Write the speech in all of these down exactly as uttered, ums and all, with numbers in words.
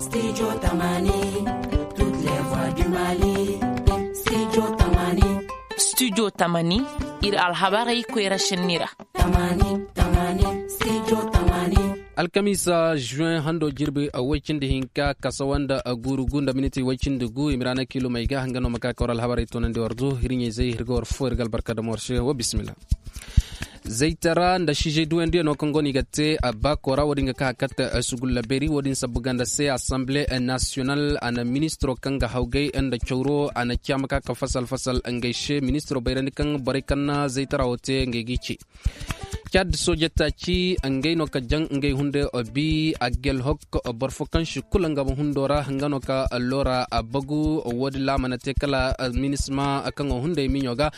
Studio tamani. Studio tamani. Ir alhabarey koyra šenni ra. Alkamiisa žuwen hando jirbi woy cindi hinka kasawa nda guuru gu nda miniti woy cindi gu i ma ra na kiilumey ga nga no ma ka kawar alhabarey tunandi war du ir ɲayzey ir ga war fo ir ga albarka dam war se wo bisimilla. Zaytara nda siizey duwandiyaŋo kaŋ go no i ga te baako ra wo- din ga ka a katte sugulla beeri wo- din sabbu ganda se asamble nasiyonal a na ministiro kaŋ ga hawgay nda cawro a na ci a ma ka ka fasal fasal ngey se ministiro bayrandi kaŋ borey kaŋ na zaytara wo te ngey g'i ci. Cad sooje taaci ngey no ka jaŋ ngey hunde bi a gelhok boro fo kaŋ si kula nga ma hundo ra nga no ka loora a bagu wo- din ra a mana te kala minisma kaŋo hunday miɲo ga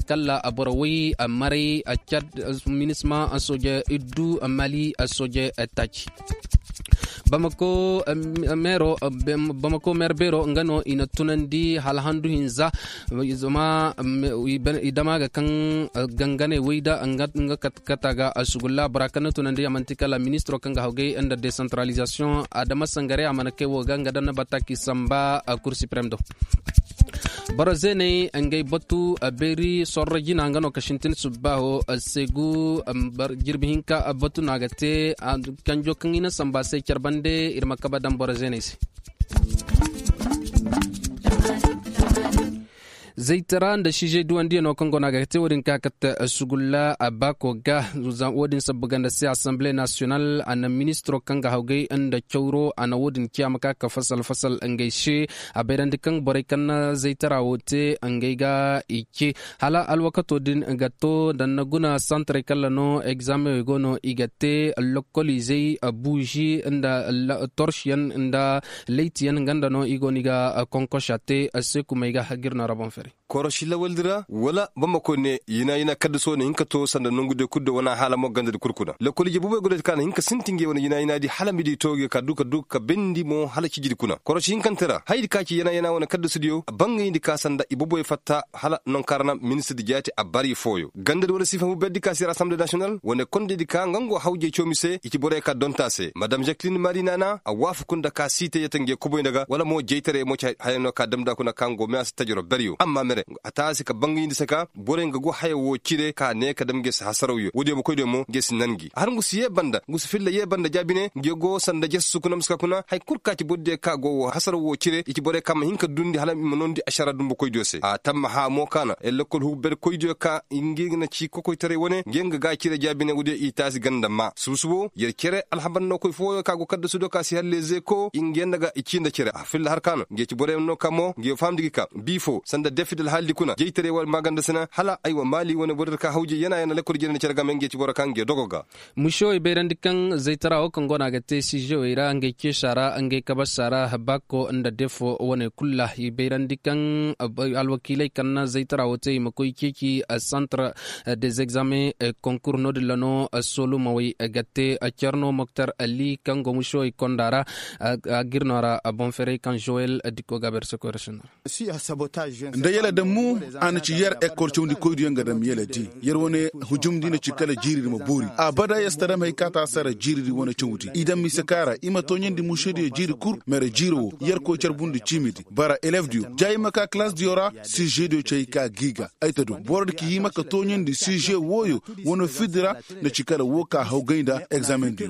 kala boro way maray cad minisma sooje iddu mali sooje taaci. Bamako meero bamako meer beero nga no i na tunandi hala handu hinza. Zama i dama ga kaŋ ganganey wayda nga kata ga sugulla bora kaŋ na tunandi a manti kala ministiro kaŋ ga hawgay nda desantaralizasiyoŋ adama sangaray a mana kay wo ga nga daŋ na bata k'i samba kur siprem do. Boro zeeney ngey batu beeri sorro jina nga no ka sintin subbaaho seegu. Jirbi hinka batu no a ga te kanjo kaŋ i na samba se care bande ir ma kaba daŋ boro zeeney se. Zaytara nda siizey duwandiyaŋo kaŋ go no a ga te wo- din ka kate sugulla baako ga. Wo- din sabbu ganda se asamble nasiyonal a na ministiro kaŋ ga hawgay nda cawro a na wo- din ciya ma ka ka fasal fasal ngey se. A bayrandi kaŋ borey kaŋ na zaytara wo te ngey ga i ce hala alwakato din ga to da na guna santarey kalla no egzaamewey go no i ga te lokoliizey buuzi nda torsiyaŋ nda leytiyaŋ nga nda no i go no i ga konkosa te seekumey ga ga ir no ra boŋ fere. Korosi lawaldi ra wala bamako ne yina yina kaddaso na hin ka to sanda nongudiyo kulu do wana hala mo gandadi kulu kuna lokoliije boboyo godoydi ka na hin ka sinti ngey wane yina yinadi hala midi to ngey ka du ka du ka bendi mo hala cijidi kuna korosi hinkante ra hayadi ka ci yana yana wane kaddasudiyo bangayndi ka sanda i boboyo fatta hala nonka ra na ministirdi jaati a bari fooyo gandadi wala sifa huberdi ka si ra asamble nasiyonal wane kondedi ka nga ngo hawjey coomi se i ci boroyo ka donta se madam jaklin mari nana a waafaku nda ka siite yata nge koboy nda ga wala mo jeytaray mo ci haya no ka damda kuna ka ngo me a si tajiro beryo amma mere a taasi ka bangayndi se ka borey nga go haya wo cire ka ne ka dam nge si hasarawyo woodiyo ma koydiyo mo nge si nan gi a har ngu si ye banda ngu si filla ye banda jaabine nge go sanda jesu kuna muska kuna haya kul ka ci bordiyo ka go wo hasaraw wo cire i ci borey ka ma hin ka dundi hala i ma noondi ašara dumbu koydiyo se a tamma haa mo ka na yer lekkol hugu bere koydiyo ka nge na ci kokoytaray wane nge nga ga cire jaabine woodiyo i taasi ganda ma subu subo yer cere alhabar no koy fooyo ka go kaddasudiyo ka si har lezeko nge nda ga i ci nda cere a filla har ka no nge ci borey no ka mo nge fahamndi gi ka bii fo sanda defidi alhaalidi kuna jeytaray wala maaganda sina hala aywa maali wane borey ka hawji yana yana lekkol jere nda cere game nge ci boro ka nge dogo ga. Mušewey bayrandi kaŋ zaytara wo kaŋ go no a ga te siizewey ra ngey ceesa ra ngey kabasa ra baako nda defo wane kulu ra i bayrandi kaŋ alwakiiley kaŋ na zaytara wo te i ma koy ceeci santar des examens konkur no- din ra no solumawey ga te. Cerno moktar ali kaŋ go mušewey konda ra a ga ir no ra boŋ ferey kaŋ zowel dikko ga a berse koy ra sinda ra. Nda yala dammu a na ci yer ekkol cawndi koydiyo nga dam yala di yer wane hujumndi na ci kala jiiridi ma boori abada yer si ta dam hay ka ta sara jiiridi wane cawndi i dam mise ka ra i ma tooɲandi mušediyo jiiri kul mere jiiro wo yer koy carbundi ciimidi bara elefdiyo ja i ma ka kalasdiyo ra sižediyo cay ka gi ga ay ta du borodi ka hima ka tooɲandi siže wooyo wane fiddi ra na ci kala woo ka hawgay nda egzamendiyo.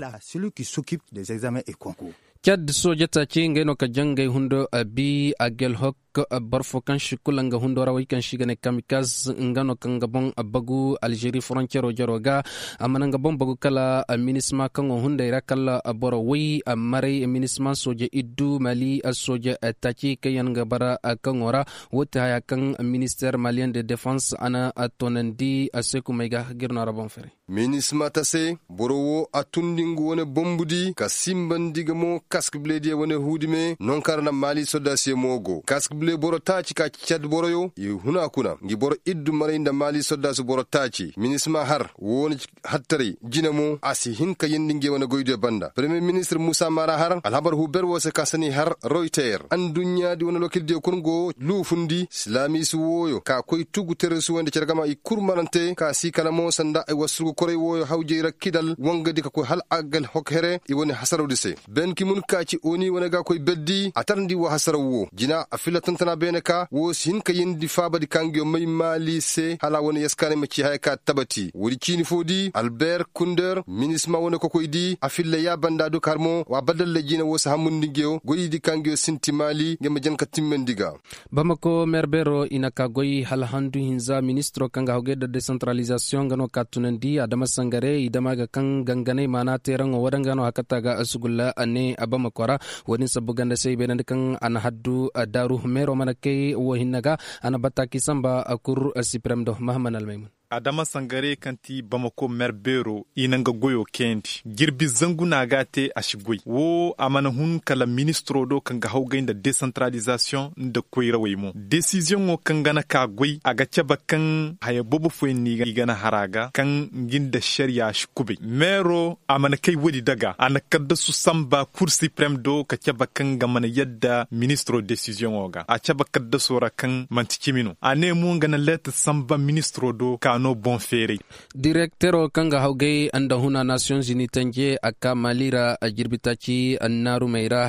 Cad sooja taaci ngey no ka jaŋ ngey hundo a bi a gelhok boro fo kaŋ si kula nga hundo ra wey kaŋ si ga ne kamikaz nga no kaŋ ga boŋ bagu alžeri foroncero jaro ga a mana nga boŋ bagu kala minisma kaŋo hunday ra kala boro wey maray minisma sooja iddu mali sooja taaci kaŋ yaŋ ga bara kaŋo ra. Woo ti haya kaŋ minister maliyen de defans a na toonandi a se kumay ga ga ir no ra boŋ fere. Minisma ta se boro woo a tundi nga wane bombudi ka simbandi ga mo kask bilediya wane huudime nonka ra na maali sodaasiyo mo go kask Boro taaci ka ci cad boroyo i huna kuna ngi boro iddu maray nda maali soddaasu boro taaci minisma har wo wane hattaray jine mo a si hin ka yeendi ngey wane goydiyo banda paremiyer ministir muusa maara har alhabar huber wo se ka sani har royter adduɲɲaadi wane lokildiyo kul go luufundi silaamiisi wooyo ka koy tugu teresu wo nda cere gama i kul marante ka si kala mo sanda ay wasurgu koray wooyo hawjey ra kidal wangadi ka koy hal a ga hok here i wane hasarawdi se ben ki mun ka ci oni wane ga koy berdi a tarndi wa hasaraw wo jina a filla tantana beene ka wo si hin ka yeendi faabadi ka ngiyo may maali se hala wane yaskaanay ma ci haya ka tabati woodi ciini foo di alber kunder minisma wane kokoy di a filla ya banda du ka har mo wa badalla jina wo si hamundi ngiyo goydi ka ngiyo sinti maali ngey ma jan ka timmandi ga. Bamako meerbeero i na ka goy hala handu hinza ministiro kaŋ ga hawgay nda desantaralizasiyoŋ nga no ka tunandi adama sangare i dama ga kaŋ ganganay maana teeraŋo wadanga no hakata ga sugulla a ne a bamako ra. Wo-din sabbu ganda se i bayrandi kaŋ a na haddu daaru meero mana kay wo hinne ga a na bataaki samba kur sipirem do mahaman almaymun. Adama sangare kaŋ ti bamako meerbeero i na nga goyo kayandi jirbi zangu no a ga a te a si goy wo a mana hun kala ministiro do kaŋ ga hawgay nda desantaralizasiyoŋ nda koyrawey mo desiziyoŋo kaŋ ga na ka goy a ga cabe kaŋ haya boobo fooyaŋ no i ga na har a ga kaŋ ngi nda ašariya si kubay meero a mana kay woodi daga a na kaddasu samba kur sipirem do ka cabe kaŋ nga mana yadda ministiro desiziyoŋo ga a cabe kaddaso ra kaŋ manti cimi no a ne mo nga na leetar samba ministiro do ka no boŋ feeray. Direktero kaŋ ga hawgay nda huna nasiyoŋ zini tanje a ka maali ra jirbi taaci annaarumey ra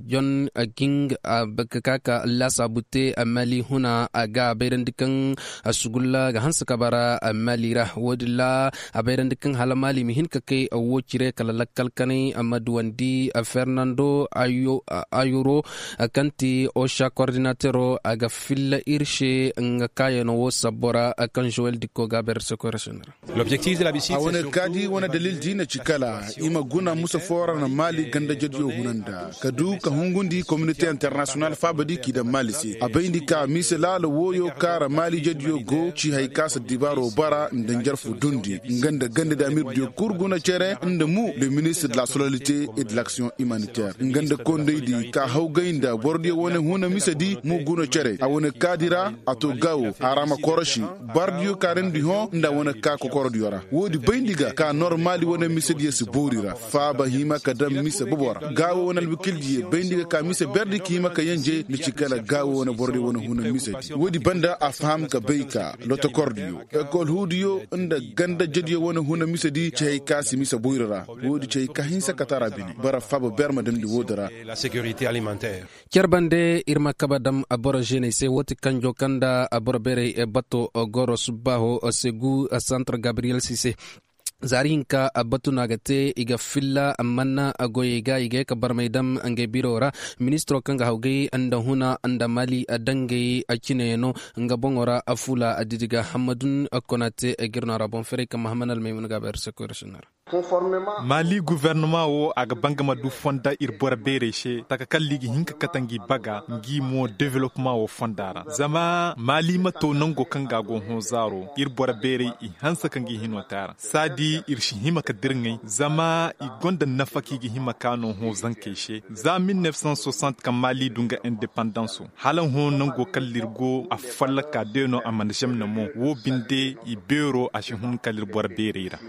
jon ging ga ka ka laasaabu te maali huna a ga a bayrandi kaŋ sugulla ga hanse ka bara maali ra wo-din ra a bayrandi kaŋ hala maali ma hin ka kay wo cire kala lakkal kanay ma duwandi fernando ayoro kaŋ ti osha kordinatero a ga filla ir se nga kaayano wo sabbo ra kaŋ zowel dikko ga a bayra se koy ra se no ra. A wane kaadi wane dalil di na ci kala i ma guna musa foo ra na maali ganda jadiyo huna nda ka du ka hungundi kominite internasiyonal faaba di k'i daŋ maali se a bayndi ka mise laala wooyo kaŋ ra maali jadiyo go ci hay ka si dibaaro bara nda njarfu dundi nga nda ganda di amirdiyo kul guna cere nda mu le ministir de la sololite et de laksiyoŋ imaniter nga nda kondey di ka hawgay nda borodiyo wane huna mise di mu guna cere a wane kaadi ra a to gaawo a ra ma korosi bardiyo kaarandi hõ nda a wane ka kokorodiyo ra woodi bayndi ga ka normaali wane misediyo si boori ra faaba hima ka daŋ mise bobo ra gaawo wane alwakildiyo bayndi ga ka mise berdi ka hima ka yanje ni ci kala gaawo wane borodiyo wane huna misedi woodi banda a faham ka bay ka lotokordiyo ekol huudiyo nda ganda jediyo wane huna misedi ci hay ka si mise boyri ra woodi ci hay ka hinsa ka tara bine bara faaba ber ma damndi woodi ra. Cer bande ir ma kaba dam boro ženey se woo ti kanjo kaŋ nda boro beerey bato goro subbaaho segu santar gabriyel si se. Zaari hinka batu no a ga te i ga filla amma goyey ga i ga ye ka barmay dam ngey biro ra. Ministiro kaŋ ga hawgay nda huna nda maali dangey cineyaŋo nga boŋo ra fuula didi ga hammadun konate ga ir no a ra boŋ ferey kaŋ mahaman almaymun ga a bayra se koyra sinna ra. Maali gofornama wo a ga bangama du fonda ir boro beerey se taka kalla i ga hin ka kate ngi baga ngi mo developma wo fonda ra zama maali ma to nango kaŋ ga a go hõ zaaro ir boro beerey i hanse ka ngi hino te a ra saadi ir si hima ka dirŋay zama i gonda nafa kaŋ i ga hima ka no hõ zankey se za mil nef san soixante kaŋ maali du nga indepandanso hala hõ nango kalla ir go a fallaka de no a mana zemna mo wo binde i beero a si hun kala ir boro beerey ra.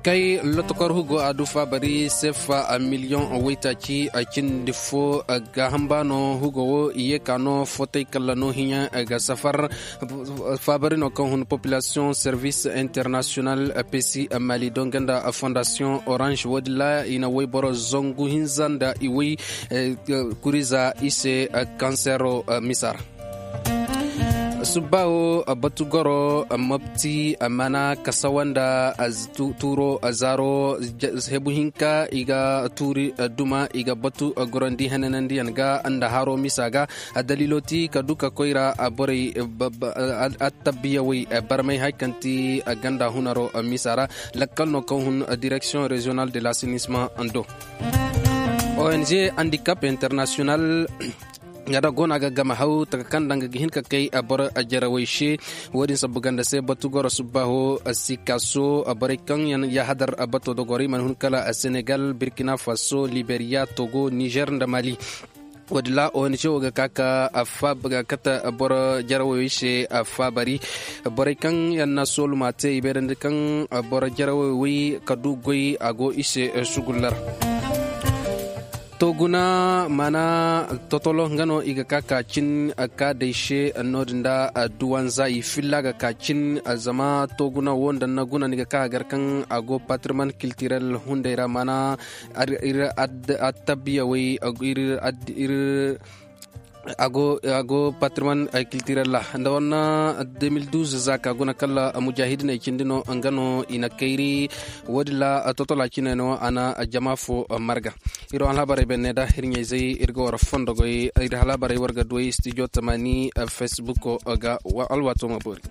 Kay lotokor hugo a du faabari sefa miliyoŋ waytaaci cindi fo ga hamba no hugo wo i ye ka no fotay kalla no hiɲa ga safar. Faabari no kaŋ hun populasiyoŋ servis internasiyonal pesi mali donga nda fondasiyoŋ orange wo- din ra i na wayboro zangu hinza nda i way kuriza i se kansero misa ra. Subba wo batu goro mopti mana kasawa nda tuuro zaaro hebu hinka i ga tuuri duma i ga batu gorandi henanandiyaŋ ga nda haro misa ga. Daliilo ti ka du ka koy ra borey attabiyawey barmay hari kaŋ ti ganda hunaro misa ra. Lakkal no kaŋ hun direksiyoŋ reziyonal de lasenisma do ong handicap internasiyonal. Nga da go no a ga game haw taka kaŋ nda nga ga hin ka kay boro jarawey se. Wo-din sabbu ganda se batu goro subbaaho, sikaso borey kaŋ yaŋ yahadar bato dogorey mana hun kala senegal, burkina faso, liberiya, togo, nizer nda mali. Wo-din ra o ni se wo ga ka ka faaba ga kate boro jarawey se. Faabari borey kaŋ yaŋ na sooluma te i bayrandi kaŋ boro jarawey wey ka du goy a go i se. Sugulla ra. To guna, maana totolo nga no i ga ka ka cin ka day se. No-din da duwanza i filla ga ka cin. Zama to guna wo nda na guna ni ga ka a gar kaŋ a go patriman kiltirel hunday ra maana ir attabiya way ir a go patriman kiltirel ra nda wanna. Deux mille douze za ka guna kala mujahidiney cindi no nga no i na kayri. Wo-din ra totola cine no a na jama fo marga. Ir wo alhabarey benne da ir ɲayzey ir ga war fondogoy ir alhabarey war ga duwey studio tamani. Facebooko ga alwaato ma boori.